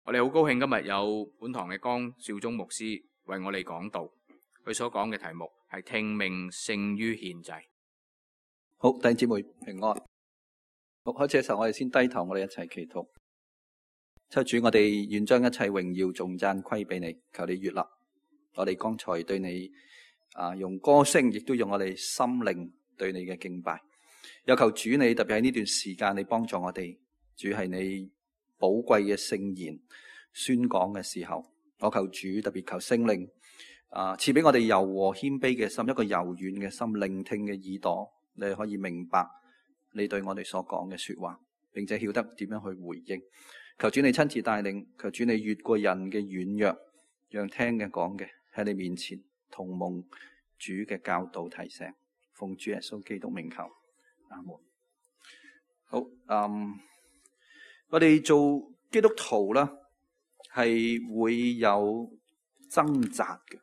我哋好高興今日有本堂嘅江少忠牧師為我哋講道，佢所講嘅題目係聽命勝於獻祭。好，弟兄姊妹平安。好，開始嘅時候我哋先低頭，我哋一齊祈禱。求主，我哋願將一切榮耀頌讚歸俾你，求你悅納我哋剛才對你用歌聲，亦都用我哋心靈對你嘅敬拜。有求主你特別喺呢段時間，你幫助我哋。主係你寶貴嘅聖言宣講嘅時候，我求主特別求聖靈賜俾我哋柔和謙卑嘅心，一個柔軟嘅心，聆聽嘅耳朵，你可以明白你對我哋所講嘅說話，並且曉得點樣去回應。求主你親自帶領，求主你越過人嘅軟弱，讓聽嘅講嘅喺你面前同蒙主嘅教導提醒，奉主耶穌基督名求，阿門。好，我哋做基督徒啦，係會有掙扎嘅，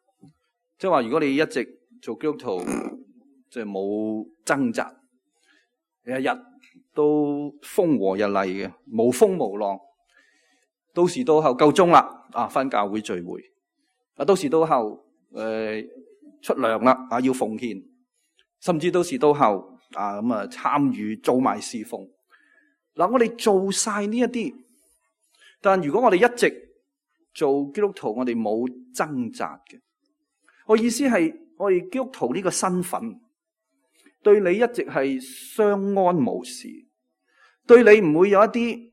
即係話如果你一直做基督徒，即係冇掙扎，日日都風和日麗嘅，無風無浪，到時到後夠鐘啦，返教會聚會，到時到後出糧啦，要奉獻，甚至到時到後參與做埋侍奉。我哋做晒呢一啲，但如果我哋一直做基督徒，我哋冇掙扎嘅。我意思係，我哋基督徒呢個身份對你一直係相安無事，對你唔會有一啲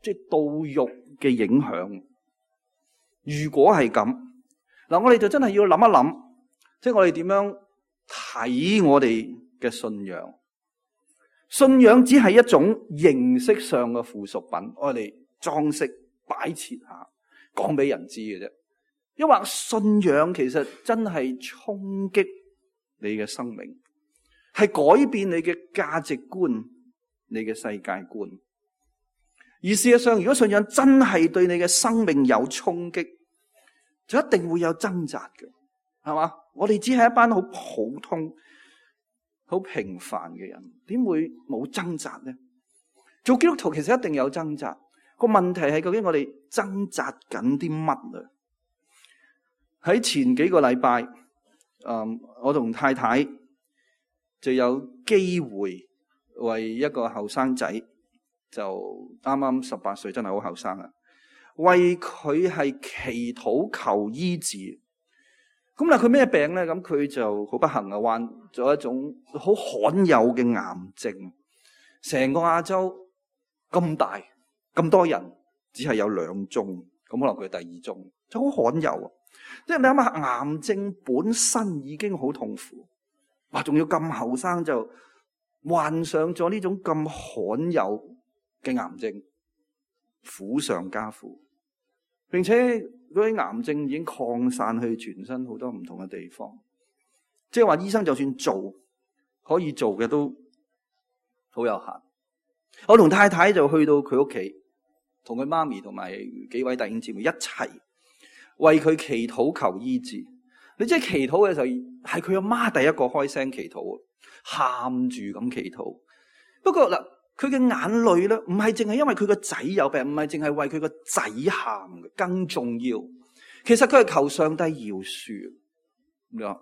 即係道欲嘅影響。如果係咁，我哋就真係要諗一諗，即係我哋點樣睇我哋嘅信仰。信仰只係一種形式上嘅附屬品，我哋裝飾擺設下，講俾人知嘅啫。因為信仰其實真係衝擊你嘅生命，係改變你嘅價值觀、你嘅世界觀。而事實上，如果信仰真係對你嘅生命有衝擊，就一定會有掙扎嘅，係嘛？我哋只係一班好普通、好平凡嘅人，點會冇掙扎呢？做基督徒其實一定有掙扎，個問題係究竟我哋掙扎緊啲乜啊？喺前幾個禮拜，我同太太就有機會為一個後生仔，就啱啱18歲，真係好後生啊！為佢係祈禱求醫治。咁但係佢咩病咧？咁佢就好不幸啊，患咗一種好罕有嘅癌症。成個亞洲咁大咁多人，只係有2宗，咁可能佢係第2宗，就好罕有啊！即係你諗下，癌症本身已經好痛苦，哇！仲要咁後生就患上咗呢種咁罕有嘅癌症，苦上加苦，並且嗰啲癌症已經擴散去全身好多唔同嘅地方，即係話醫生就算做，可以做嘅都好有限。我同太太就去到佢屋企，同佢媽咪同埋幾位弟兄姊妹一齊為佢祈禱求醫治。你知祈禱嘅時候，係佢阿媽第一個開聲祈禱，喊住咁祈禱。不過嗱，佢嘅眼淚咧，唔係淨係因為佢個仔有病，唔係淨係為佢個仔喊嘅，更重要，其實佢係求上帝饒恕。你話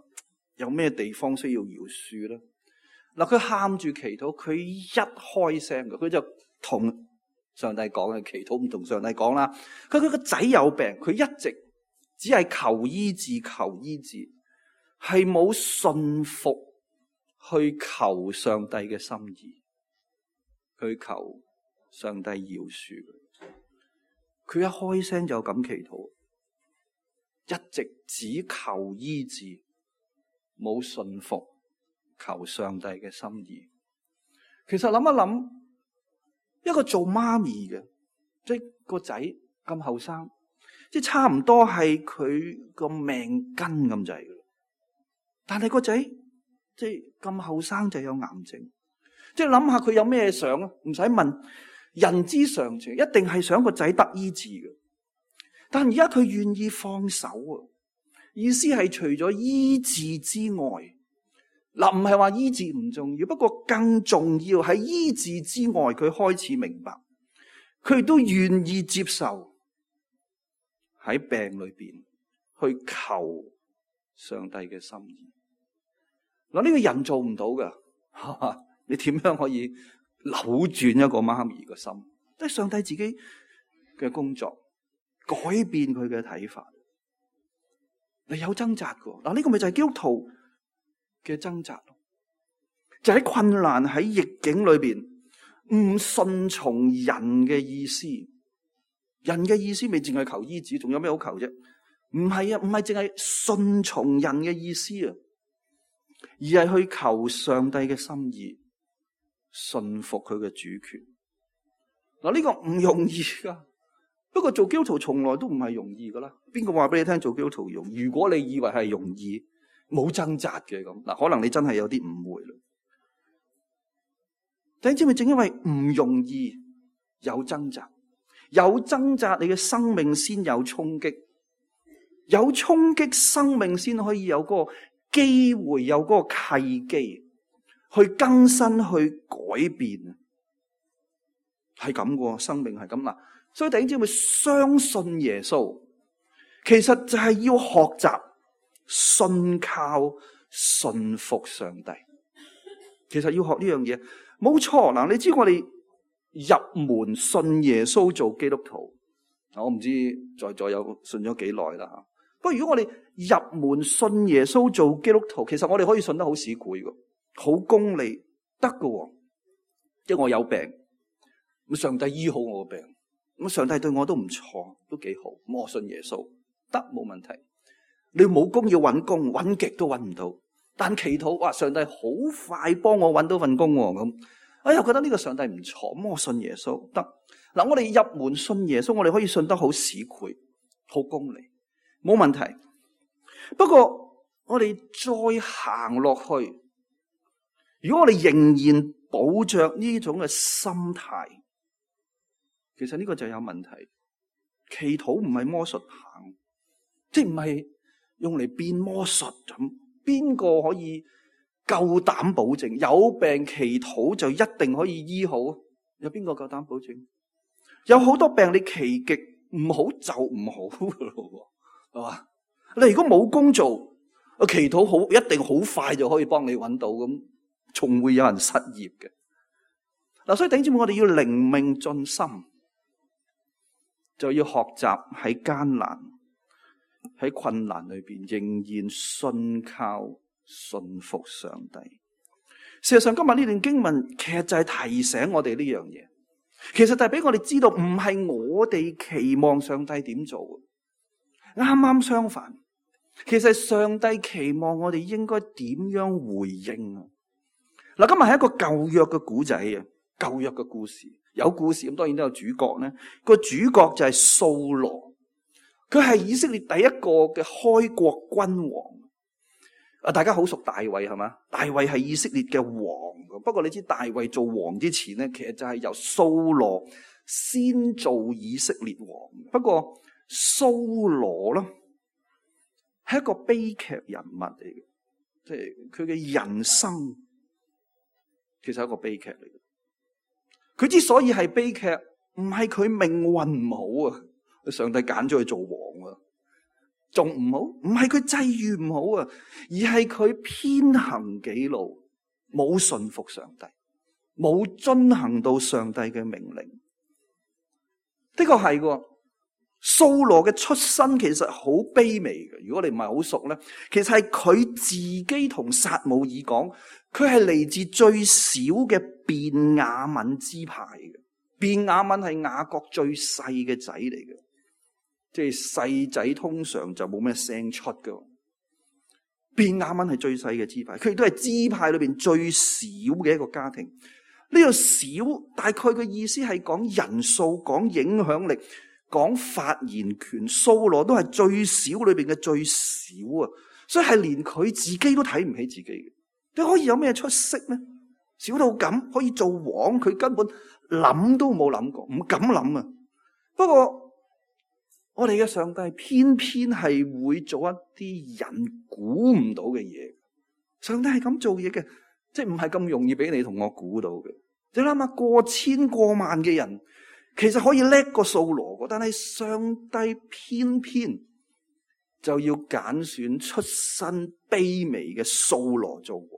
有咩地方需要饒恕咧？嗱，佢喊住祈禱，佢一開聲嘅，佢就同上帝講嘅，祈禱唔同上帝講啦。佢個仔有病，佢一直只係求醫治，求醫治，係冇信服去求上帝嘅心意。去求上帝饒恕佢，一開聲就咁祈禱，一直只求醫治，冇信服求上帝嘅心意。其實諗一諗，一個做媽咪嘅，即係個仔咁後生，即係差唔多係佢個命根咁滯嘅，但係個仔即係咁後生就有癌症。即係諗下佢有咩想啊？唔使問，人之常情，一定係想個仔得醫治嘅。但而家佢願意放手啊！意思係除咗醫治之外，唔係話醫治唔重要，不過更重要喺醫治之外，佢開始明白，佢亦都願意接受喺病裏邊去求上帝嘅心意。嗱，呢個人做唔到噶，你點樣可以扭轉一個媽咪嘅心？即係上帝自己嘅工作，改變佢嘅睇法。你有掙扎噶，嗱，呢個咪就係基督徒嘅掙扎咯，就喺困難喺逆境裏邊，唔順從人嘅意思。人嘅意思未淨係求醫治，仲有咩好求啫？唔係啊，唔係淨係順從人嘅意思啊，而係去求上帝嘅心意，順服佢嘅主權。嗱，呢個唔容易噶。不過做基督徒從來都唔係容易噶啦。邊個話俾你聽做基督徒容易？如果你以為係容易，冇掙扎嘅咁，嗱，可能你真係有啲誤會啦。弟兄姊妹，正因為唔容易，有掙扎，有掙扎，你嘅生命先有衝擊，有衝擊，生命先可以有嗰個機會，有嗰個契機去更新，去改變。係咁嘅，生命係咁啦。所以弟兄姊妹，相信耶穌，其實就係要學習信靠、信服上帝。其實要學呢樣嘢，冇錯。嗱，你知我哋入門信耶穌做基督徒，我唔知在座有信咗幾耐啦。不過如果我哋入門信耶穌做基督徒，其實我哋可以信得好市儈嘅，好功利得嘅。即係我有病，咁上帝醫好我嘅病。咁上帝對我都唔錯，都幾好。咁我信耶穌得，冇問題。你冇工要搵工，搵極都搵唔到。但祈禱，哇！上帝好快幫我搵到份工咁。我又覺得呢個上帝唔錯，咁我信耶穌得。嗱，我哋入門信耶穌，我哋可以信得好市儈，好功利，冇問題。不過我哋再行落去，如果我哋仍然抱着呢種嘅心態，其實呢個就有問題。祈禱唔係魔術棒，即係唔係用嚟變魔術咁。邊個可以夠膽保證有病祈禱就一定可以醫好？有邊個夠膽保證？有好多病你祈極唔好就唔好噶咯，係嘛？你如果冇工做，祈禱好一定好快就可以幫你揾到，咁仲會有人失業嘅。嗱，所以弟兄姊妹，我哋要靈命進心，就要學習喺艱難、喺困難裏邊仍然信靠、信服上帝。事實上，今日呢段經文其實就係提醒我哋呢樣嘢。其實就係俾我哋知道，唔係我哋期望上帝點做，啱啱相反。其實上帝期望我哋應該點樣回應啊？嗱，今日係一個舊約嘅古仔啊，舊約嘅故事。有故事咁，當然都有主角咧。個主角就係掃羅，佢係以色列第一個嘅開國君王。啊，大家好熟大衛係嘛？大衛係以色列嘅王。不過你知大衛做王之前咧，其實就係由掃羅先做以色列王。不過掃羅咧係一個悲劇人物嚟嘅，即係佢嘅人生其實係一個悲劇嚟嘅。佢之所以係悲劇，唔係佢命運唔好啊，上帝揀咗佢做王啊，仲唔好？唔係佢際遇唔好啊，而係佢偏行己路，冇順服上帝，冇遵行到上帝嘅命令。的確係嘅，掃羅嘅出身其實好卑微嘅。如果你唔係好熟咧，其實係佢自己同撒母耳講，佢係嚟自最小嘅便雅憫支派嘅。便雅憫係雅各最細嘅仔嚟嘅，即係細仔通常就冇咩聲出㗎。便雅憫係最細嘅支派，佢亦都係支派裏邊最少嘅一個家庭。呢個少大概嘅意思係講人數、講影響力、講發言權。掃羅都係最少裏邊嘅最少啊，所以係連佢自己都睇唔起自己嘅。你可以有咩出息呢？少到咁可以做王，佢根本諗都冇諗過，唔敢諗啊。不過我哋嘅上帝偏偏係會做一啲人估唔到嘅嘢。上帝係咁做嘢嘅，即係唔係咁容易俾你同我估到嘅。你諗下，過千過萬嘅人，其實可以叻過掃羅，但係上帝偏偏就要揀選出身卑微嘅掃羅做王。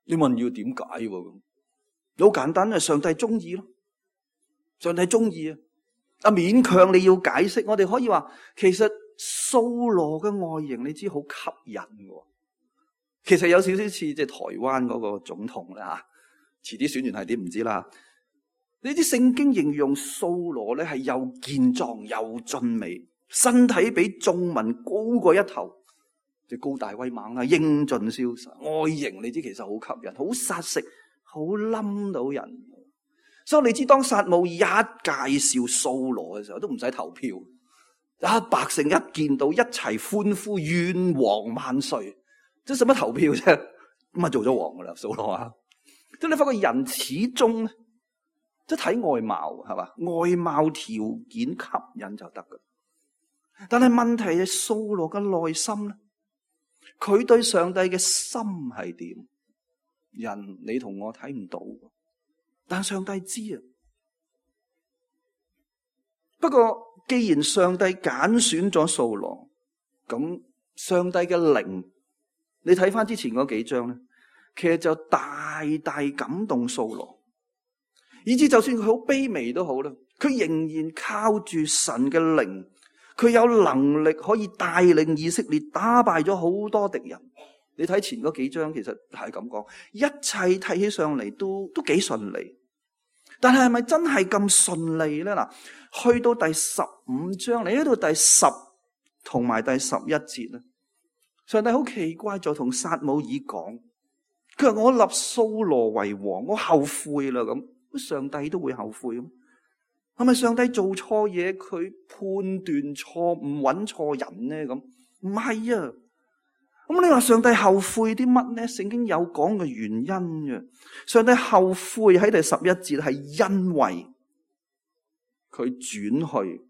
你問要點解喎？好簡單，係上帝中意咯。上帝中意啊！勉強你要解釋，我哋可以話，其實掃羅嘅外形你知好吸引嘅。其實有少少似即係台灣嗰個總統啦吓，遲啲選完係點唔知啦。呢啲聖經形容掃羅咧係又健壯又俊美，身體比眾民高過一頭，即係高大威猛啦，英俊瀟灑，外形你知其實好吸引，好殺食，好冧到人。所以你知當撒母耳一介紹掃羅嘅時候，都唔使投票，百姓一見到一齊歡呼，願王萬歲，即係使乜投票啫？咁啊做咗王噶啦，掃羅啊！即係你發覺人始終即係睇外貌係嘛，外貌條件吸引就得噶。但係問題係掃羅嘅內心咧，佢對上帝嘅心係點？人你同我睇唔到。但上帝知啊。不過既然上帝揀選咗掃羅，咁上帝嘅靈，你睇翻之前嗰幾章咧，其實就大大感動掃羅，以至就算佢好卑微都好啦，佢仍然靠住神嘅靈，佢有能力可以帶領以色列打敗咗好多敵人。你睇前嗰幾章，其實係咁講，一切睇起上嚟都幾順利。但係咪真係咁順利咧？嗱，去到第15章，你喺度第10同埋第11節咧，上帝好奇怪就同撒母耳講，佢話我立掃羅為王，我後悔啦咁。上帝都會後悔咁？係咪上帝做錯嘢，佢判斷錯誤，揾錯人咧？咁唔係啊。咁你話上帝後悔啲乜咧？聖經有講嘅原因嘅。上帝後悔喺第11節係因為佢轉去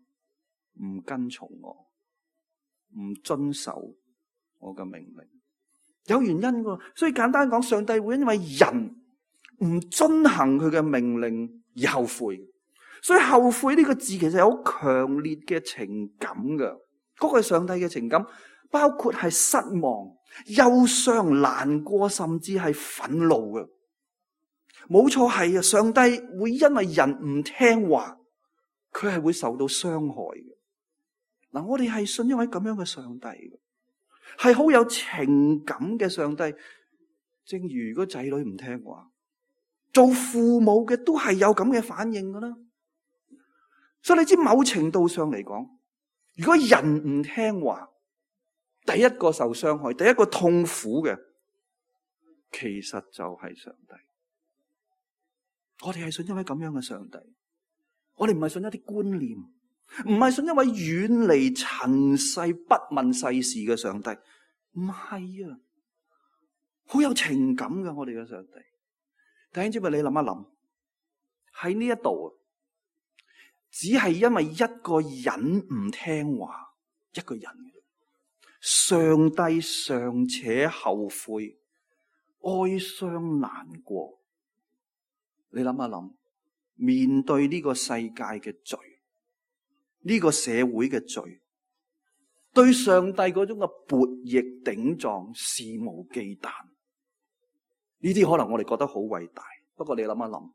唔跟從我，唔遵守我嘅命令，有原因嘅。所以簡單講，上帝會因為人唔遵行佢嘅命令而後悔。所以後悔呢個字其實有好強烈嘅情感嘅，嗰個係上帝嘅情感。包括係失望、憂傷、難過，甚至係憤怒嘅。冇錯，係啊！上帝會因為人唔聽話，佢係會受到傷害嘅。嗱，我哋係信一位咁樣嘅上帝嘅，係好有情感嘅上帝。正如個仔女唔聽話，做父母嘅都係有咁嘅反應噶啦。所以你知，某程度上嚟講，如果人唔聽話，第一個受傷害，第一個痛苦嘅，其實就係上帝。我哋係信一位咁樣嘅上帝，我哋唔係信一啲觀念，唔係信一位遠離塵世不問世事嘅上帝，唔係啊，好有情感嘅我哋嘅上帝。弟兄姊妹，你諗一諗，喺呢一度，只係因為一個人唔聽話，一個人。上帝尚且後悔、哀傷、難過，你諗一諗，面對呢個世界嘅罪，呢個社會嘅罪，對上帝嗰種嘅悖逆頂撞、肆無忌憚，呢啲可能我哋覺得好偉大。不過你諗一諗，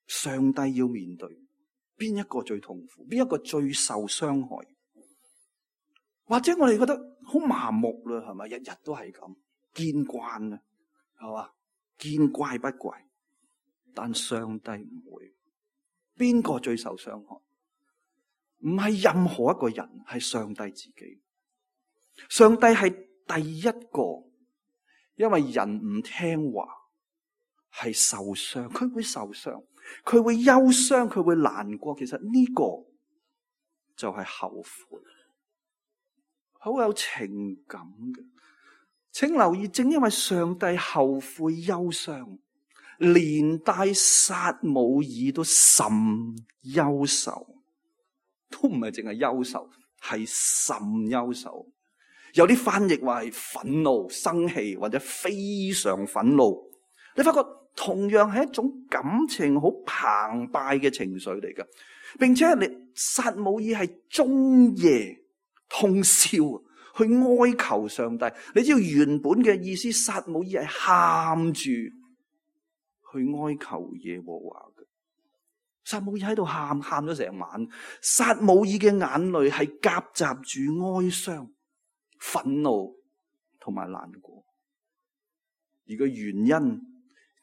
上帝要面對邊一個最痛苦，邊一個最受傷害？或者我哋覺得好麻木啦，係咪？日日都係咁，見慣啦，係嘛？見怪不怪。但上帝唔會。邊個最受傷害？唔係任何一個人，係上帝自己。上帝係第一個，因為人唔聽話係受傷，佢會受傷，佢會憂傷，佢會難過。其實呢個就係後悔。好有情感嘅，請留意，正因為上帝後悔憂傷，連帶撒母耳都甚憂愁，都唔係淨係憂愁，係甚憂愁。有啲翻譯話係憤怒、生氣或者非常憤怒。你發覺同樣係一種感情好澎湃嘅情緒嚟嘅，並且撒母耳係終夜通宵去哀求上帝。你知道原本嘅意思，撒母耳係喊住去哀求耶和華嘅。撒母耳喺度喊咗成晚，撒母耳嘅眼淚係夾雜住哀傷、憤怒同埋難過，而個原因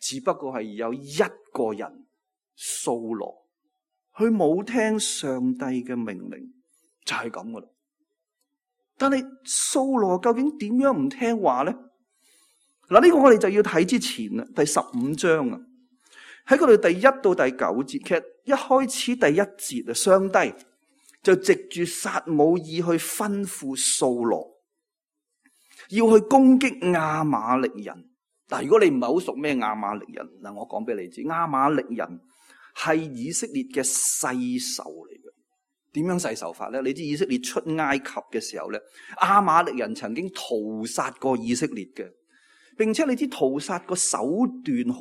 只不過係有一個人掃羅，佢冇聽上帝嘅命令，就係咁噶啦。但係掃羅究竟點樣唔聽話咧？嗱，呢個我哋就要睇之前啦，第15章啊，喺嗰度第1到第9節，其實一開始第1節啊，上帝就藉住撒母耳去吩咐掃羅要去攻擊亞瑪力人。嗱，如果你唔係好熟咩亞瑪力人，嗱，我講俾你知，亞瑪力人係以色列嘅世仇嚟嘅。點樣世仇法咧？你知以色列出埃及嘅時候咧，亞瑪力人曾經屠殺過以色列嘅，並且你知屠殺個手段好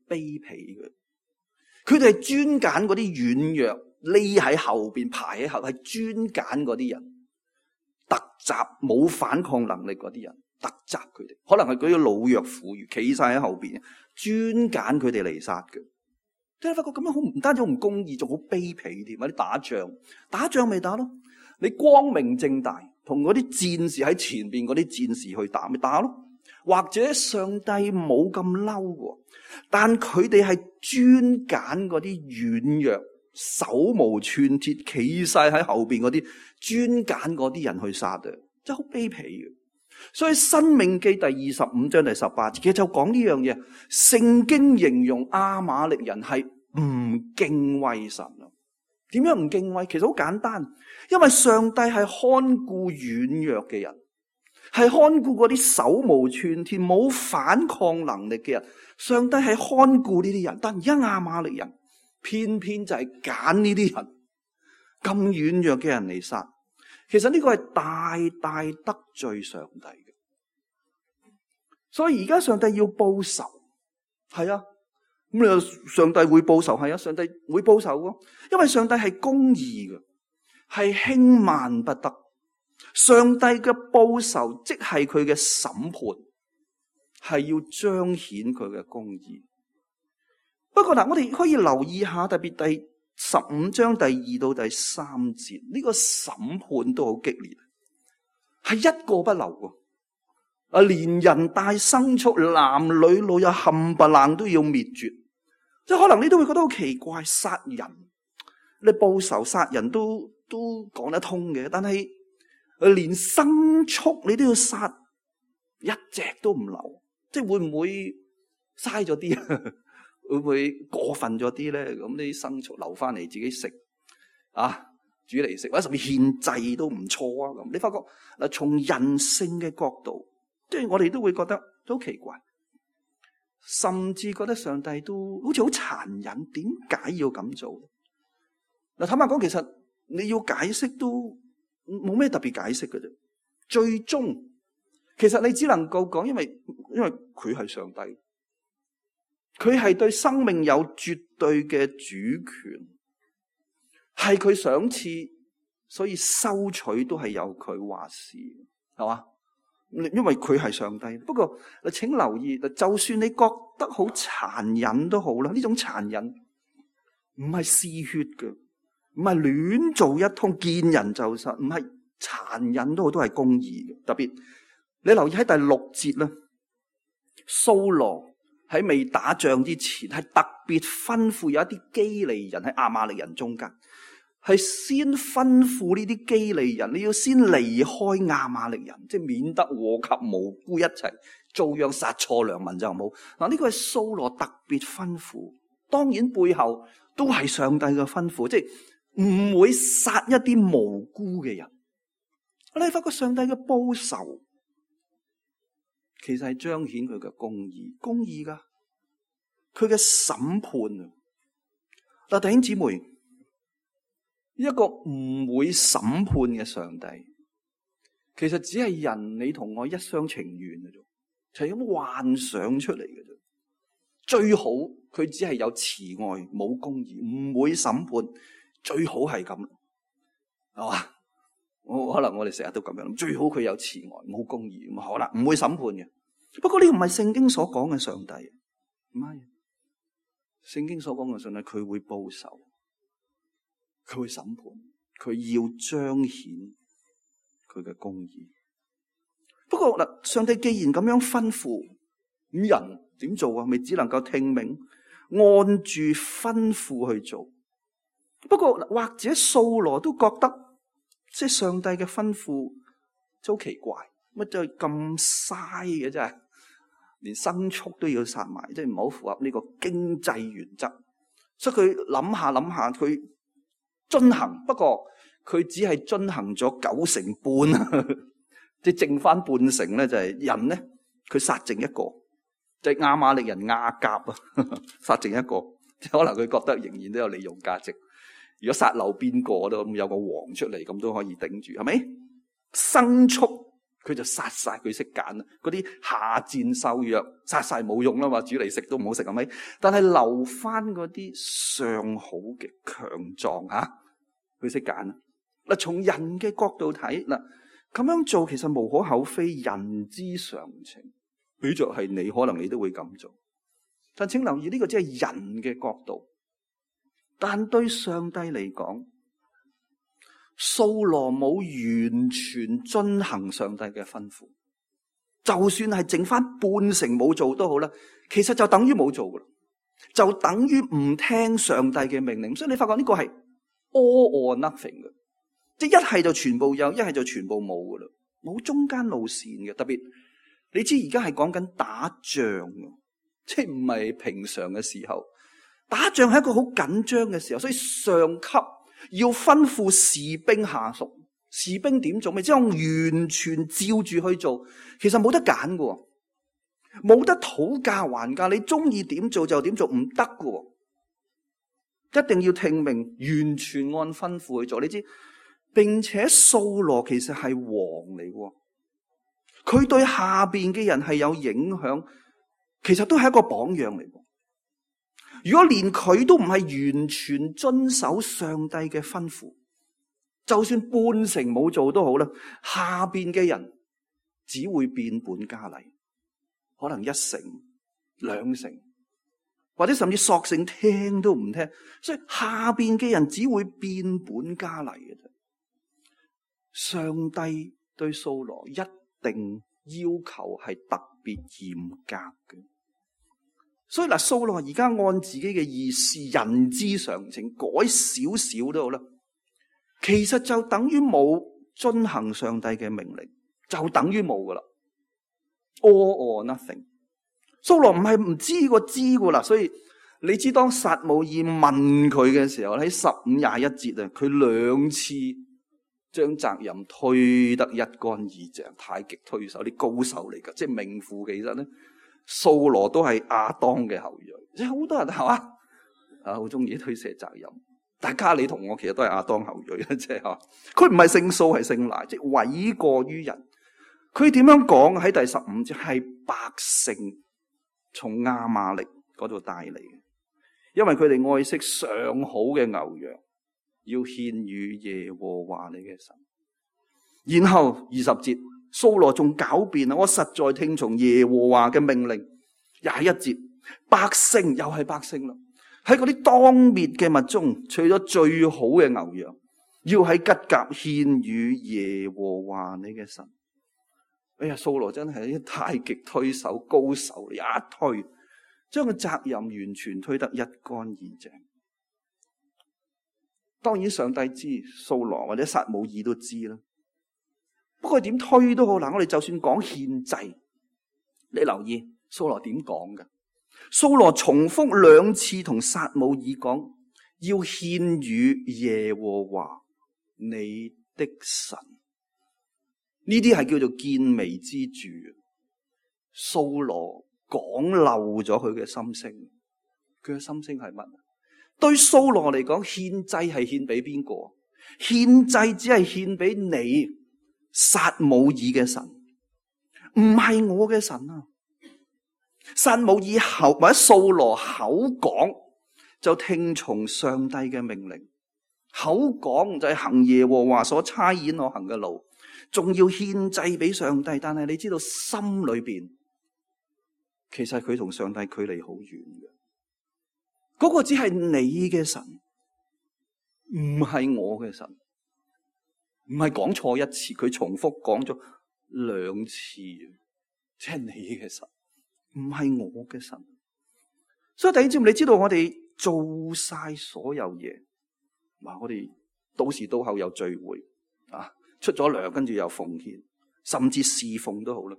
卑鄙嘅。佢哋係專揀嗰啲軟弱，匿喺後邊排喺後，係專揀嗰啲人，突襲冇反抗能力嗰啲人。突襲佢哋，可能係嗰啲老弱婦孺企晒喺後邊，專揀佢哋嚟殺嘅。即係發覺咁樣好唔單止好唔公義，仲好卑鄙添。啲打仗咪打咯，你光明正大同嗰啲戰士喺前邊嗰啲戰士去打咪打咯。或者上帝冇咁嬲喎，但佢哋係專揀嗰啲軟弱、手無寸鐵企晒喺後邊嗰啲，專揀嗰啲人去殺嘅，真係好卑鄙嘅。所以申命記第25章第18節其實就講呢樣嘢。聖經形容亞瑪力人係唔敬畏神啊。點樣唔敬畏？其實好簡單，因為上帝係看顧軟弱嘅人，係看顧嗰啲手無寸鐵冇反抗能力嘅人。上帝係看顧呢啲人，但而家亞瑪力人偏偏就係揀呢啲人咁軟弱嘅人嚟殺。其實呢個係大大得罪上帝嘅，所以而家上帝要報仇，係啊，咁你話上帝會報仇，係啊，上帝會報仇嘅，因為上帝係公義嘅，係輕慢不得。上帝嘅報仇即係佢嘅審判，係要彰顯佢嘅公義。不過嗱，我哋可以留意下，特別第15章第2到第3節，呢個審判都好激烈，係一個不留啊！連人帶牲畜、男女老幼冚唪唥都要滅絕。即係可能你都會覺得好奇怪，殺人你報仇殺人都講得通嘅，但係連牲畜你都要殺，一隻都唔留，即係會唔會嘥咗啲啊？會唔會過分咗啲咧？咁啲牲畜留翻嚟自己食啊，煮嚟食，或者甚至獻祭都唔錯啊！咁你發覺嗱，從人性嘅角度，即係我哋都會覺得都好奇怪，甚至覺得上帝都好似好殘忍，點解要咁做？嗱，坦白講，其實你要解釋都冇咩特別解釋嘅啫。最終其實你只能夠講，因為佢係上帝。佢係對生命有絕對嘅主權，係佢賞賜，所以收取都係由佢話事，係嘛？因為佢係上帝。不過請留意，就算你覺得好殘忍都好啦，呢種殘忍唔係嗜血嘅，唔係亂做一通見人就殺，唔係殘忍都好，都係公義嘅。特別你留意喺第6節啦，掃羅喺未打仗之前，係特別吩咐有一啲基利人喺亞瑪力人中間，係先吩咐呢啲基利人，你要先離開亞瑪力人，即係免得禍及無辜一齊遭殃，殺錯良民就冇。嗱，呢個係掃羅特別吩咐，當然背後都係上帝嘅吩咐，即係唔會殺一啲無辜嘅人。你發覺上帝嘅報仇，其實係彰顯佢嘅公義噶，佢嘅審判啊！嗱，弟兄姊妹，一個唔會審判嘅上帝，其實只係人你同我一廂情願嘅啫，就係咁幻想出嚟嘅啫。最好佢只係有慈愛冇公義，唔會審判，最好係咁，係嘛？可能我哋成日都咁樣，最好佢有慈愛冇公義，咁好啦，唔會審判嘅。不過呢個唔係聖經所講嘅上帝，唔係聖經所講嘅上帝，佢會報仇，佢會審判，佢要彰顯佢嘅公義。不過嗱，上帝既然咁樣吩咐，咁人點做啊？咪只能夠聽命，按住吩咐去做。不過或者掃羅都覺得，即係上帝嘅吩咐真好奇怪，乜就咁嘥嘅真係，連牲畜都要殺埋，即係唔好符合呢個經濟原則。所以佢諗下，佢遵行，不過佢只係遵行咗9成半，即係剩翻半成咧，就係人咧，佢殺剩一個，就係亞瑪力人亞甲啊，殺剩一個，即係可能佢覺得仍然都有利用價值。如果殺漏邊個都有個王出嚟，咁都可以頂住，係咪？牲畜佢就殺晒，佢識揀啦。嗰啲下賤瘦弱殺晒冇用啦嘛，煮嚟食都唔好食，係咪？但係留翻嗰啲上好嘅強壯吓，佢識揀。嗱，從人嘅角度睇，嗱，咁樣做其實無可厚非，人之常情。比着係你，可能你都會咁做。但請留意呢個只係人嘅角度。但對上帝嚟講，掃羅冇完全遵行上帝嘅吩咐，就算係剩翻半成冇做都好啦，其實就等於冇做噶啦，就等於唔聽上帝嘅命令。所以你發覺呢個係 all or nothing 嘅，即係一係就全部有，一係就全部冇噶啦，冇中間路線嘅。特別你知而家係講緊打仗，即係唔係平常嘅時候。打仗係一個好緊張嘅時候，所以上級要吩咐士兵下屬，士兵點做咪即係完全照住去做，其實冇得揀嘅，冇得討價還價，你中意點做就點做，唔得嘅，一定要聽命，完全按吩咐去做。你知，並且掃羅其實係王嚟嘅，佢對下邊嘅人係有影響，其實都係一個榜樣嚟。如果連佢都唔係完全遵守上帝嘅吩咐，就算半成冇做都好啦，下邊嘅人只會變本加厲，可能1成、2成，或者甚至索性聽都唔聽，所以下邊嘅人只會變本加厲嘅啫。上帝對掃羅一定要求係特別嚴格嘅。所以嗱，掃羅而家按自己嘅意思，人之常情，改少少都好啦。其實就等於冇遵行上帝嘅命令，就等於冇噶啦。All or nothing。掃羅唔係唔知個知噶啦，所以你知當撒母耳問佢嘅時候，喺15-21節啊，佢2次將責任推得一乾二淨，太極推手，啲高手嚟噶，即係名副其實咧。掃羅都係亞當嘅後裔，即係好多人係嘛啊，好中意推卸責任。大家你同我其實都係亞當後裔，即係吓，佢唔係姓掃係姓賴，即係諉過於人。佢點樣講喺第15節係百姓從亞瑪力嗰度帶嚟嘅，因為佢哋愛惜上好嘅牛羊，要獻與耶和華你嘅神。然後20節。掃羅仲狡辯啊！我實在聽從耶和華嘅命令。21節，百姓又係百姓啦，喺嗰啲當滅嘅物中，取咗最好嘅牛羊，要喺吉甲獻與耶和華你嘅神。哎呀，掃羅真係啲太極推手高手，一推將個責任完全推得一乾二淨。當然上帝知，掃羅或者撒母耳都知啦。不過點推都好，嗱，我哋就算講獻祭，你留意掃羅點講嘅？掃羅重複2次同撒母耳講，要獻與耶和華你的神。呢啲係叫做見微知著。掃羅講漏咗佢嘅心聲，佢嘅心聲係乜？對掃羅嚟講，獻祭係獻俾邊個？獻祭只係獻俾你撒母耳嘅神，唔係我嘅神啊！撒母耳口或者掃羅口講就聽從上帝嘅命令，口講就係行耶和華所差遣我行嘅路，仲要獻祭俾上帝。但係你知道心裏邊其實佢同上帝距離好遠嘅，嗰個只係你嘅神，唔係我嘅神。唔係講錯一次，佢重複講咗2次，即係你嘅神，唔係我嘅神。所以弟兄姊妹，你知道我哋做晒所有嘢，我哋到時到後有聚會啊，出咗糧跟住又奉獻，甚至侍奉都好啦。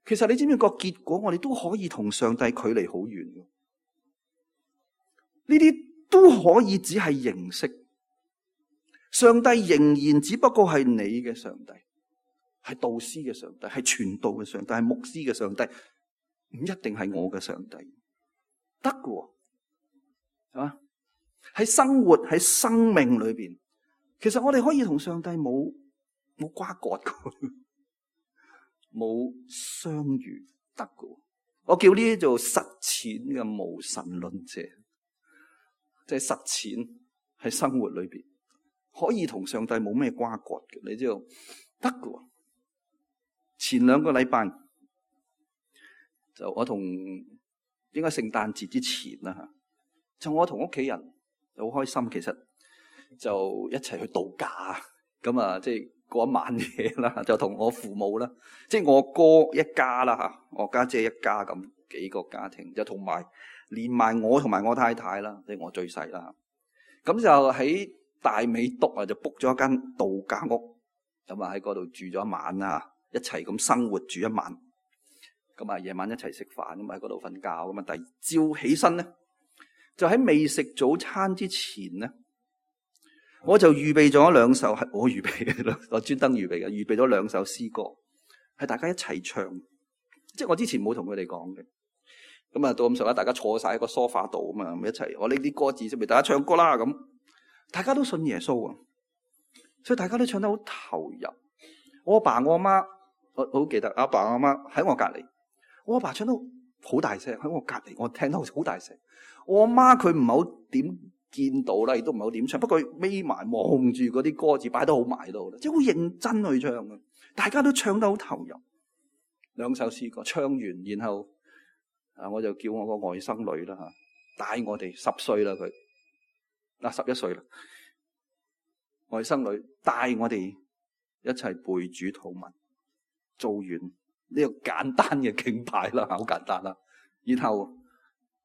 其實你知唔知個結果？我哋都可以同上帝距離好遠嘅，呢啲都可以只係形式。上帝仍然只不過係你嘅上帝，係導師嘅上帝，係傳道嘅上帝，係牧師嘅上帝，唔一定係我嘅上帝，得嘅，係嘛？喺生活喺生命裏邊，其實我哋可以同上帝冇瓜葛嘅，冇相遇，得嘅。我叫呢啲做實踐嘅無神論者，即係實踐喺生活裏邊。可以同上帝冇咩瓜葛嘅，你知道得嘅。前2個禮拜就我同應該聖誕節之前啦吓，就我同屋企人就好開心，其實就一齊去度假，咁啊即係過一晚嘢啦，就同我父母啦，即係我哥一家啦吓，我家姐一家咁幾個家庭，就同埋連埋我同埋我太太啦，即係我最細啦，咁就喺大美督啊，就 book 咗一間度假屋，咁啊喺嗰度住咗一晚啊，一齊咁生活住一晚，咁啊夜晚一齊食飯，咁喺嗰度瞓覺，咁啊第二朝起身咧，就喺未食早餐之前咧，我就預備咗2首，係我預備嘅，我專登預備嘅，預備咗2首詩歌，係大家一齊唱，即係我之前冇同佢哋講嘅，咁啊到咁上下，大家坐晒喺個梳化度啊嘛，一齊我拎啲歌詞出嚟，大家唱歌啦咁。大家都信耶穌啊，所以大家都唱得好投入。我阿爸我阿媽，我好記得阿爸阿媽喺我隔籬，我阿爸唱得好大聲喺我隔籬，我聽得好大聲。我阿媽佢唔係好點見到啦，亦都唔係好點唱，不過眯埋望住嗰啲歌詞擺得好埋到啦，即係好認真去唱嘅。大家都唱得好投入。2首詩歌唱完，然後我就叫我個外甥女啦吓，帶我哋10歲啦佢。11歲啦，外甥女帶我哋一齊背主禱文，做完呢個簡單嘅敬拜啦，好簡單啦。然後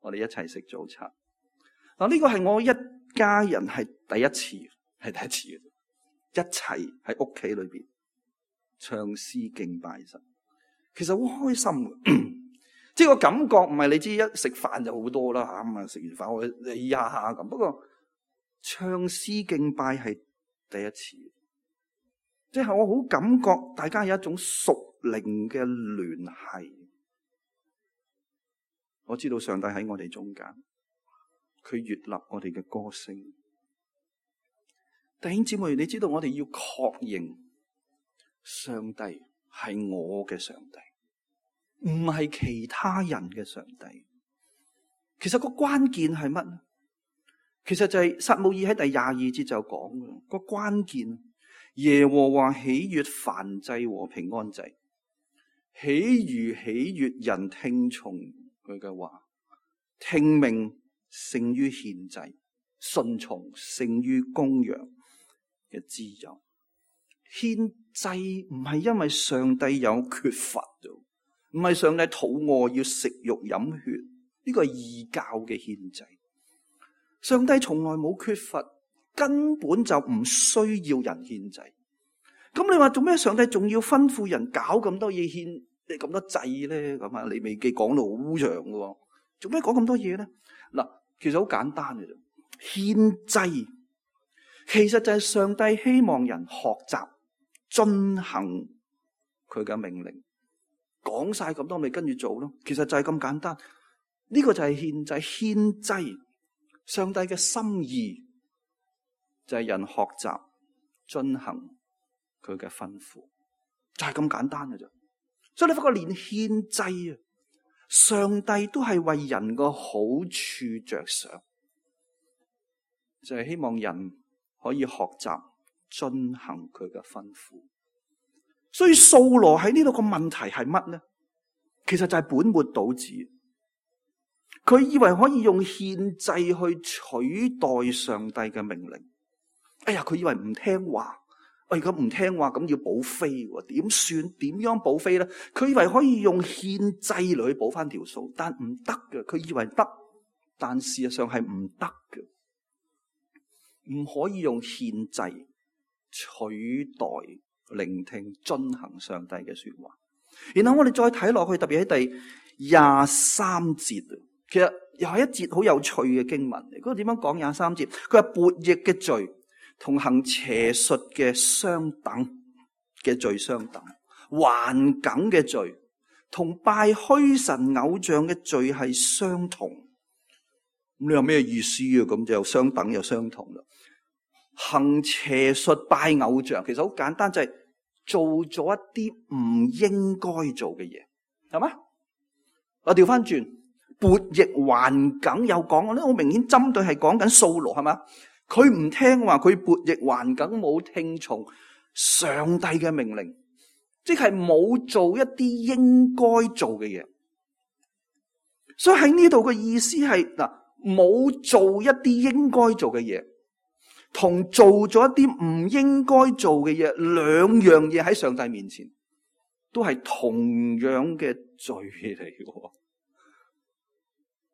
我哋一齊食早餐。呢個係我一家人係第一次嘅，一齊喺屋企裏邊唱詩敬拜神，其實好開心嘅。即係個感覺唔係你知一食飯就好多啦吓，咁啊食完飯我哋呀咁，不過。唱詩敬拜係第一次，即係我好感覺大家有一種屬靈嘅聯繫。我知道上帝喺我哋中間，佢悅納我哋嘅歌聲。弟兄姊妹，你知道我哋要確認上帝係我嘅上帝，唔係其他人嘅上帝。其實個關鍵係乜？其實就係撒母耳喺第22節就講嘅個關鍵，耶和華喜悅燔祭和平安祭，喜悅人聽從佢嘅話，聽命勝於獻祭，順從勝於公羊嘅脂油。獻祭唔係因為上帝有缺乏，唔係上帝肚餓要食肉飲血，呢個係異教嘅獻祭。上帝從來冇缺乏，根本就唔需要人獻祭。咁你話做咩？上帝仲要吩咐人搞咁多嘢獻，咁多祭咧？咁啊，利未記講到好長嘅，做咩講咁多嘢咧？嗱，其實好簡單嘅啫。獻祭其實就係上帝希望人學習遵行佢嘅命令，講晒咁多咪跟住做咯。其實就係咁簡單。呢個就係獻祭，獻祭。上帝嘅心意就係人學習遵行佢嘅吩咐，就係咁簡單嘅啫。所以你發覺連獻祭啊，上帝都係為人個好處着想，就係希望人可以學習遵行佢嘅吩咐。所以掃羅喺呢度個問題係乜呢？其實就係本末倒置。佢以為可以用獻祭去取代上帝嘅命令。哎呀，佢以為唔聽話，如果唔聽話咁要補飛，點算？點樣補飛呢？佢以為可以用獻祭嚟去補翻條數，但唔得嘅。佢以為得，但事實上係唔得嘅。唔可以用獻祭取代聆聽遵行上帝嘅說話。然後我哋再睇落去，特別喺第23節，其實又係一節好有趣嘅經文。嗰個點樣講？23節，佢話悖逆嘅罪同行邪術嘅相等嘅罪相等，頑梗嘅罪同拜虛神偶像嘅罪係相同。咁你有咩意思啊？咁就相等又相同啦。行邪術拜偶像，其實好簡單，就係做咗一啲唔應該做嘅嘢，係嘛？我調翻轉，悖逆頑梗有講，好明顯針對係講緊掃羅，係嘛？佢唔聽話，佢悖逆頑梗，冇聽從上帝嘅命令，即係冇做一啲應該做嘅嘢。所以喺呢度嘅意思係嗱，冇做一啲應該做嘅嘢，同做咗一啲唔應該做嘅嘢，兩樣嘢喺上帝面前都係同樣嘅罪嚟嘅，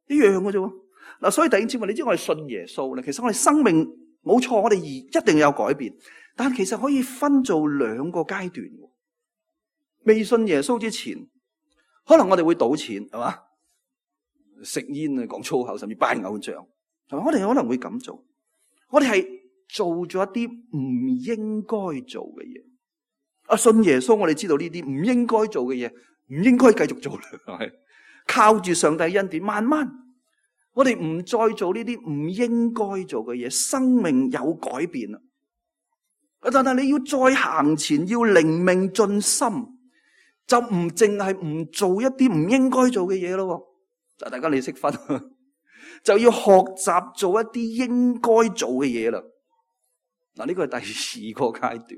一樣嘅啫。嗱，所以弟兄姊妹，你知我哋信耶穌咧，其實我哋生命冇錯，我哋一定有改變，但其實可以分做兩個階段。未信耶穌之前，可能我哋會賭錢，係嘛？食煙啊，講粗口，甚至拜偶像，係嘛？我哋可能會咁做，我哋係做咗一啲唔應該做嘅嘢。信耶穌，我哋知道呢啲唔應該做嘅嘢，唔應該繼續做啦，係咪？靠住上帝恩典，慢慢我哋唔再做呢啲唔應該做嘅嘢，生命有改變啦。但係你要再行前，要靈命進心，就唔淨係唔做一啲唔應該做嘅嘢咯。大家你識分，就要學習做一啲應該做嘅嘢啦。嗱，呢個係第二個階段，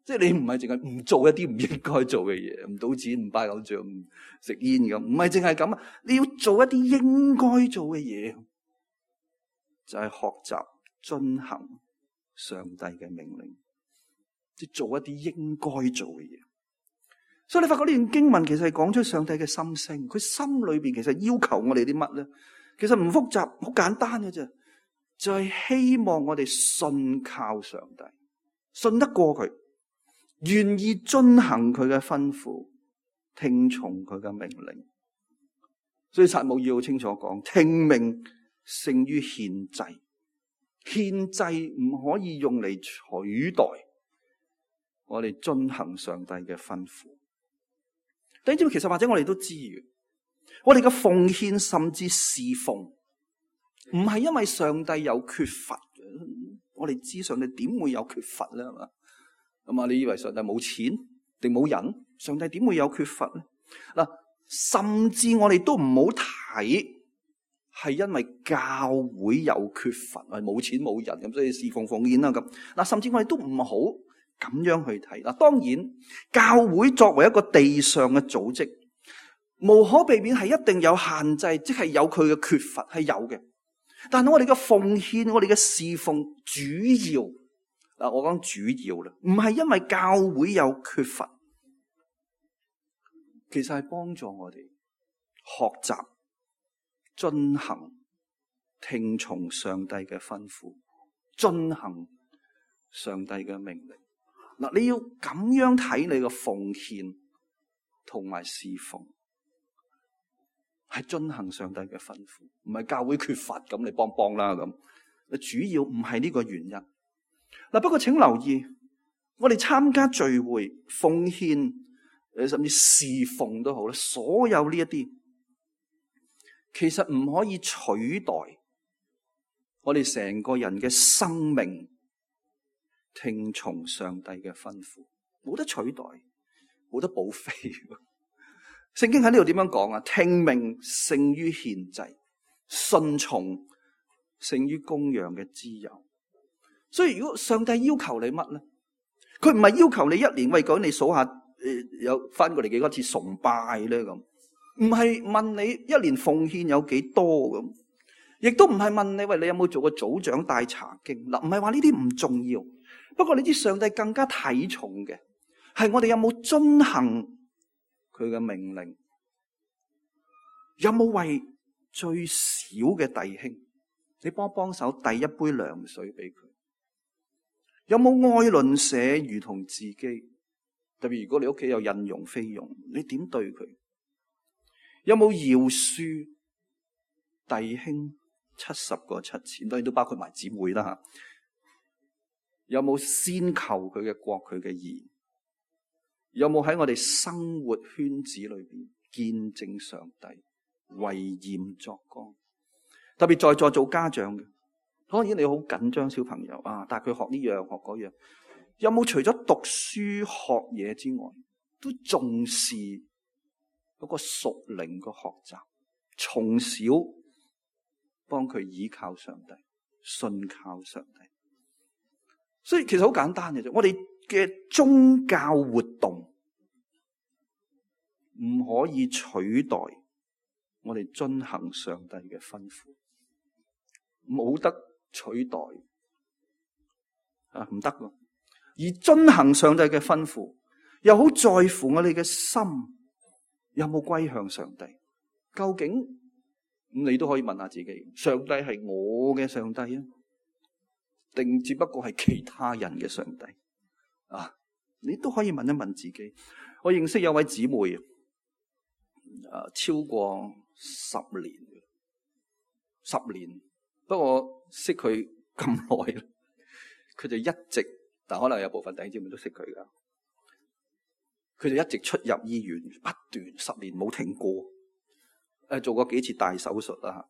即係你唔係淨係唔做一啲唔應該做嘅嘢，唔賭錢、唔拜偶像、唔食煙咁，唔係淨係咁啊！你要做一啲應該做嘅嘢，就係學習遵行上帝嘅命令，即係做一啲應該做嘅嘢。所以你發覺呢段經文其實係講出上帝嘅心聲，佢心裏邊其實要求我哋啲乜咧？其實唔複雜，好簡單嘅啫，就係希望我哋信靠上帝，信得過佢，願意遵行佢嘅吩咐，聽從佢嘅命令。所以撒母耳好清楚講，聽命勝於獻祭，獻祭唔可以用嚟取代我哋遵行上帝嘅吩咐。弟兄姊妹，其實或者我哋都知嘅，我哋嘅奉獻甚至侍奉，唔係因為上帝有缺乏。我哋知上帝點會有缺乏咧？係嘛？咁啊，你以為上帝冇錢定冇人？上帝點會有缺乏咧？嗱，甚至我哋都唔好睇係因為教會有缺乏，係冇錢冇人咁，所以侍奉奉獻啦咁。嗱，甚至我哋都唔好咁樣去睇。嗱，當然教會作為一個地上嘅組織，無可避免係一定有限制，即係有佢嘅缺乏係有嘅。但係我哋嘅奉獻，我哋嘅侍奉，主要嗱，我講主要啦，唔係因為教會有缺乏，其實係幫助我哋學習遵行、聽從上帝嘅吩咐，遵行上帝嘅命令。嗱，你要咁樣睇你嘅奉獻同埋侍奉，係遵行上帝嘅吩咐，唔係教會缺乏咁你幫幫啦咁。主要唔係呢個原因。嗱，不過請留意，我哋參加聚會、奉獻，甚至侍奉都好啦，所有呢一啲，其實唔可以取代我哋成個人嘅生命聽從上帝嘅吩咐，冇得取代，冇得補飛。聖經喺呢度點樣講啊？聽命勝於獻祭，順從勝於公羊嘅脂油。所以如果上帝要求你乜咧？佢唔係要求你一年為講你數下有翻過嚟幾多次崇拜咧咁，唔係問你一年奉獻有幾多咁，亦都唔係問你喂你有冇做過組長帶查經嗱，唔係話呢啲唔重要。不過你知上帝更加睇重嘅係我哋有冇遵行佢嘅命令，有冇為最小嘅弟兄你幫手遞一杯涼水俾佢，有冇愛鄰舍如同自己？特別如果你屋企有印傭菲傭，你點對佢？有冇饒恕弟兄70個7千？當然都包括埋姊妹啦吓。有冇先求佢嘅國佢嘅義？有冇喺我哋生活圈子裏邊見證上帝，為鹽作光？特別在座做家長嘅，當然你好緊張小朋友啊，帶佢學呢樣學嗰樣。有冇除咗讀書學嘢之外，都重視嗰個屬靈嘅學習，從小幫佢倚靠上帝，信靠上帝？所以其實好簡單嘅啫，我哋嘅宗教活動唔可以取代我哋遵行上帝嘅吩咐，冇得取代啊，唔得㗎。而遵行上帝嘅吩咐，又好在乎我哋嘅心有冇歸向上帝。究竟你都可以問下自己，上帝係我嘅上帝啊，定只不過係其他人嘅上帝啊？你都可以問一問自己。我認識有位姊妹超過10年，不過識佢咁耐，佢就一直，但可能有部分弟兄姊妹都識佢噶，佢就一直出入醫院，不斷10年冇停過。做過幾次大手術啦，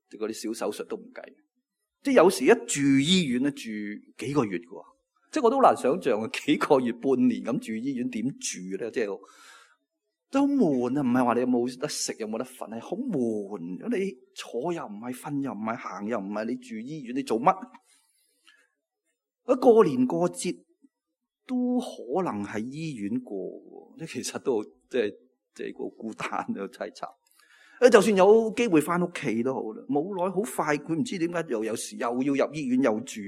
嗰啲小手術都唔計。即係有時一住醫院咧，住幾個月嘅，即係我都好難想象啊，幾個月半年咁住醫院點住咧？即係都好悶啊！唔係話你有冇得食，有冇得瞓，係好悶。如果你坐又唔係，瞓又唔係，行又唔係，你住醫院你做乜？過年過節都可能喺醫院過，即其實都即係好孤單又淒慘。就算有機會翻屋企都好啦，冇耐好快，佢唔知點解又有時又要入醫院又住，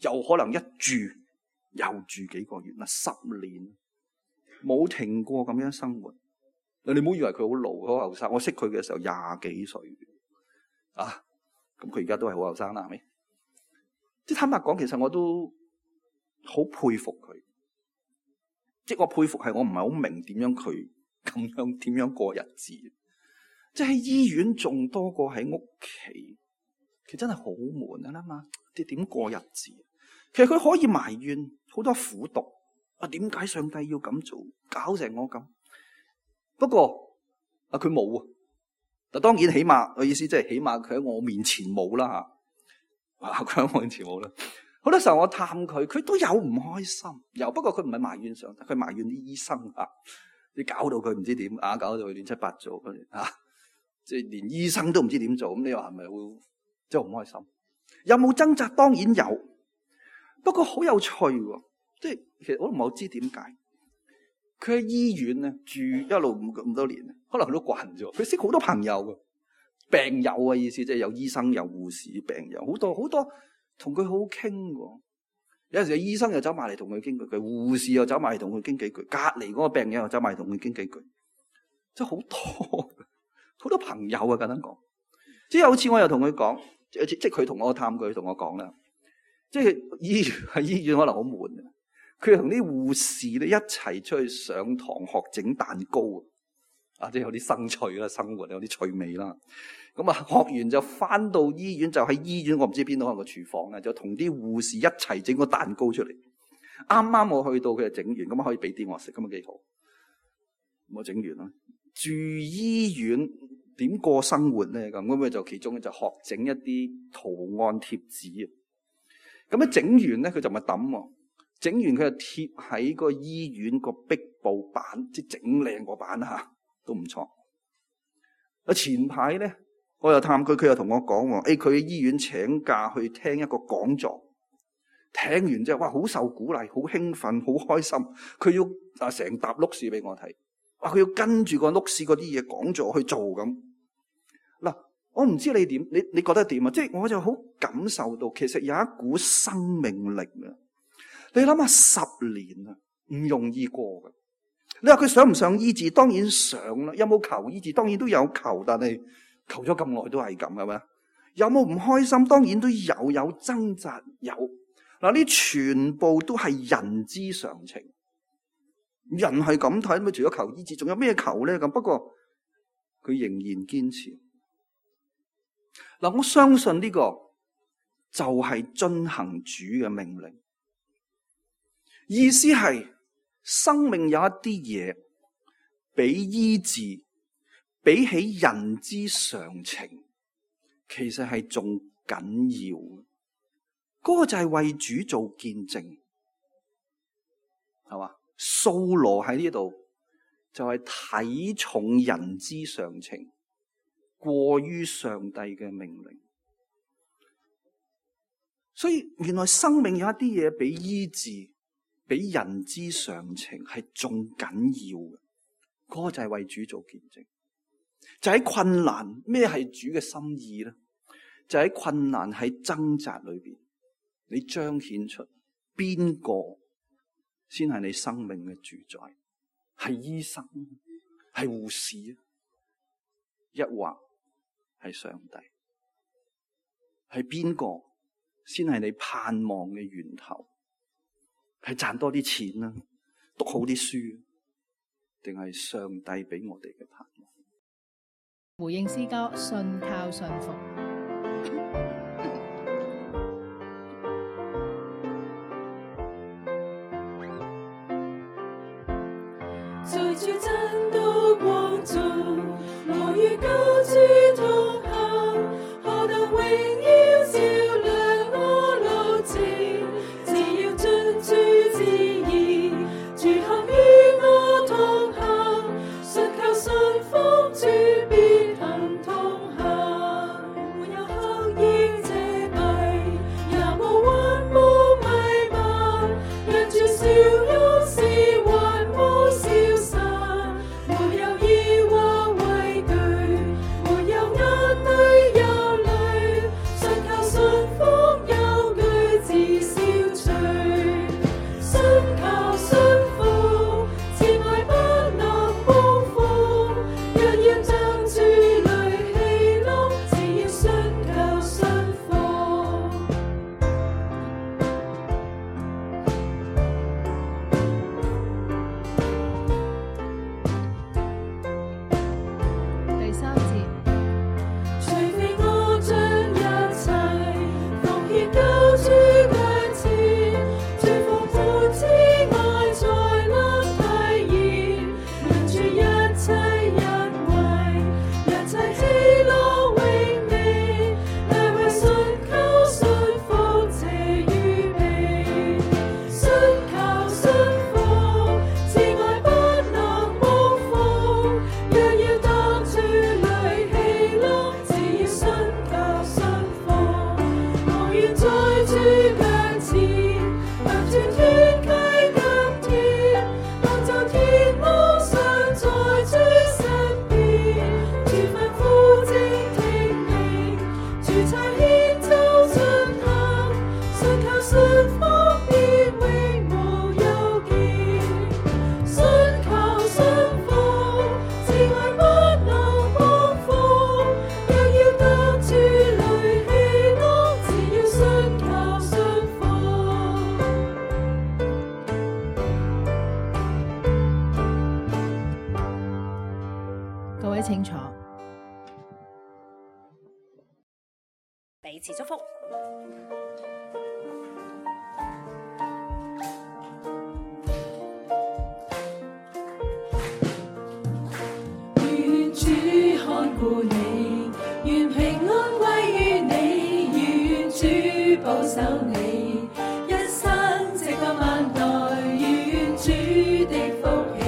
又可能一住又住幾個月啦，10年冇停過咁樣生活。你唔好以為佢好老好後生，我識佢嘅時候20幾歲啊，咁佢而家都係好後生啦，係咪？即係坦白講，其實我都好佩服佢，即係我佩服係我唔係好明點樣佢咁樣點樣過日子。即係喺醫院仲多過喺屋企，其實真係好悶啊嘛！你點過日子？其實佢可以埋怨好多苦毒啊，點解上帝要咁做，搞成我咁？不過佢冇啊。但當然起碼我意思即係起碼佢喺我面前冇啦吓。佢喺我面前冇啦。好多時候我探佢，佢都有唔開心，不過佢唔係埋怨上帝，佢埋怨啲醫生啊，你搞到佢唔知點啊，搞到佢亂七八糟啊！即係連醫生都唔知點做，咁你話係咪會即係好唔開心？有冇掙扎？當然有，不過好有趣喎。即係其實我都唔係好知點解佢喺醫院咧住一路咁多年，可能佢都慣咗。佢識好多朋友嘅病友嘅意思，即係有醫生、有護士、病友好多好多，同佢好好傾喎。有陣時醫生又走埋嚟同佢傾幾句，護士又走埋嚟同佢傾幾句，隔離嗰個病友又走埋嚟同佢傾幾句，即係好多。好多朋友啊，簡單講，即係有次我又同佢講，即係佢同我探佢，同我講啦，即係喺醫院可能好悶啊。佢同啲護士咧一齊出去上堂學整蛋糕啊，即係有啲生趣啦，生活有啲趣味啦。咁啊，學完就翻到醫院，就喺醫院我唔知邊度可能個廚房啊，就同啲護士一齊整個蛋糕出嚟。啱啱我去到佢就整完，咁啊可以俾啲我食，咁啊幾好。我整完啦。住醫院點過生活咧？咁咪就其中就學整一啲圖案貼紙啊！咁一整完咧，佢就咪抌喎。整完佢就貼喺個醫院個壁布板，即係整靚個板嚇。都唔錯。前排咧，我又探佢，佢又同我講喎，佢喺醫院請假去聽一個講座，聽完之後，哇，好受鼓勵，好興奮，好開心。佢要成沓碌屎俾我睇，哇，佢要跟住個碌屎嗰啲嘢講座去做咁。嗱，我唔知你點，你覺得點啊？即係我就好感受到，其實有一股生命力啊！你諗下，10年啊，唔容易過㗎。你話佢想唔想醫治？當然想啦。有冇求醫治？當然都有求，但係求咗咁耐都係咁嘅咩？有冇唔開心？當然都有掙扎有。嗱，呢全部都係人之常情。人係咁睇，咪除咗求醫治，仲有咩求咧？咁不過佢仍然堅持。嗱，我相信呢個就係遵行主嘅命令。意思係生命有一啲嘢比醫治，比起人之常情，其實係仲緊要。嗰個就係為主做見證，係嘛？掃羅喺呢度就係睇重人之常情，過於上帝嘅命令。所以原來生命有一啲嘢比醫治，比人之常情係仲緊要嘅。嗰個就係為主做見證。就喺困難，咩係主嘅心意咧？就喺困難，喺掙扎裏邊，你彰顯出邊個先係你生命嘅主宰？係醫生，係護士，抑或係上帝？係邊個先係你盼望嘅源頭？係賺多啲錢啦，讀好啲書，定係上帝俾我哋嘅盼望？回應詩歌，信靠信服。在主真道光中，我與救主同行，何等榮耀照亮我路程。只要遵主旨意，主行與我同行，信靠信服主必行同行。沒有黑影遮蔽，也無雲霧迷漫，讓主笑容是還無消散。沒有疑惑畏懼，沒有眼淚憂慮，信靠信服憂懼自消除。信靠信服，慈愛不能辜負。若要將主淚喜樂，只要信靠信服。第3節，除非我將一切奉獻救主腳前，主復活之愛才能體現，讓主一切恩惠，一切喜樂永美，乃為信靠信服且預備。信靠信服，慈愛不能辜負。若要當主淚喜樂，只要信靠信服。我願在主腳前，向主團契甘甜，當作天幕上在主身邊。主吩咐正聽命，主差遣就進行，信靠信服必永無憂見。信靠信服，慈愛不能辜負。若要得主淚喜樂，只要信靠信服。各位請坐。彼此祝福。願主看顧你，願平安歸於你，願主保守你，一生直到萬代，願主的福氣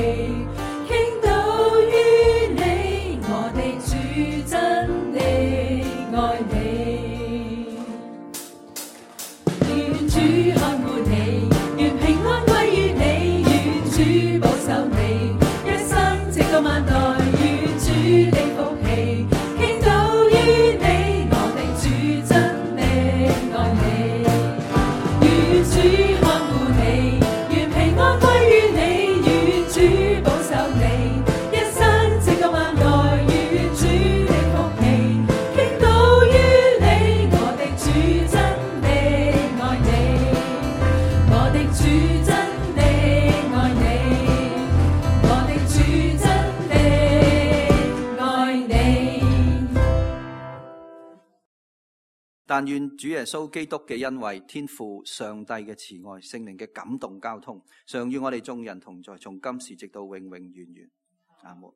傾倒於主真的愛你，我的主真的愛你。但願主耶穌基督嘅恩惠、天父上帝嘅慈愛、聖靈嘅感動交通，常與我哋眾人同在，從今時直到永永遠遠。阿門。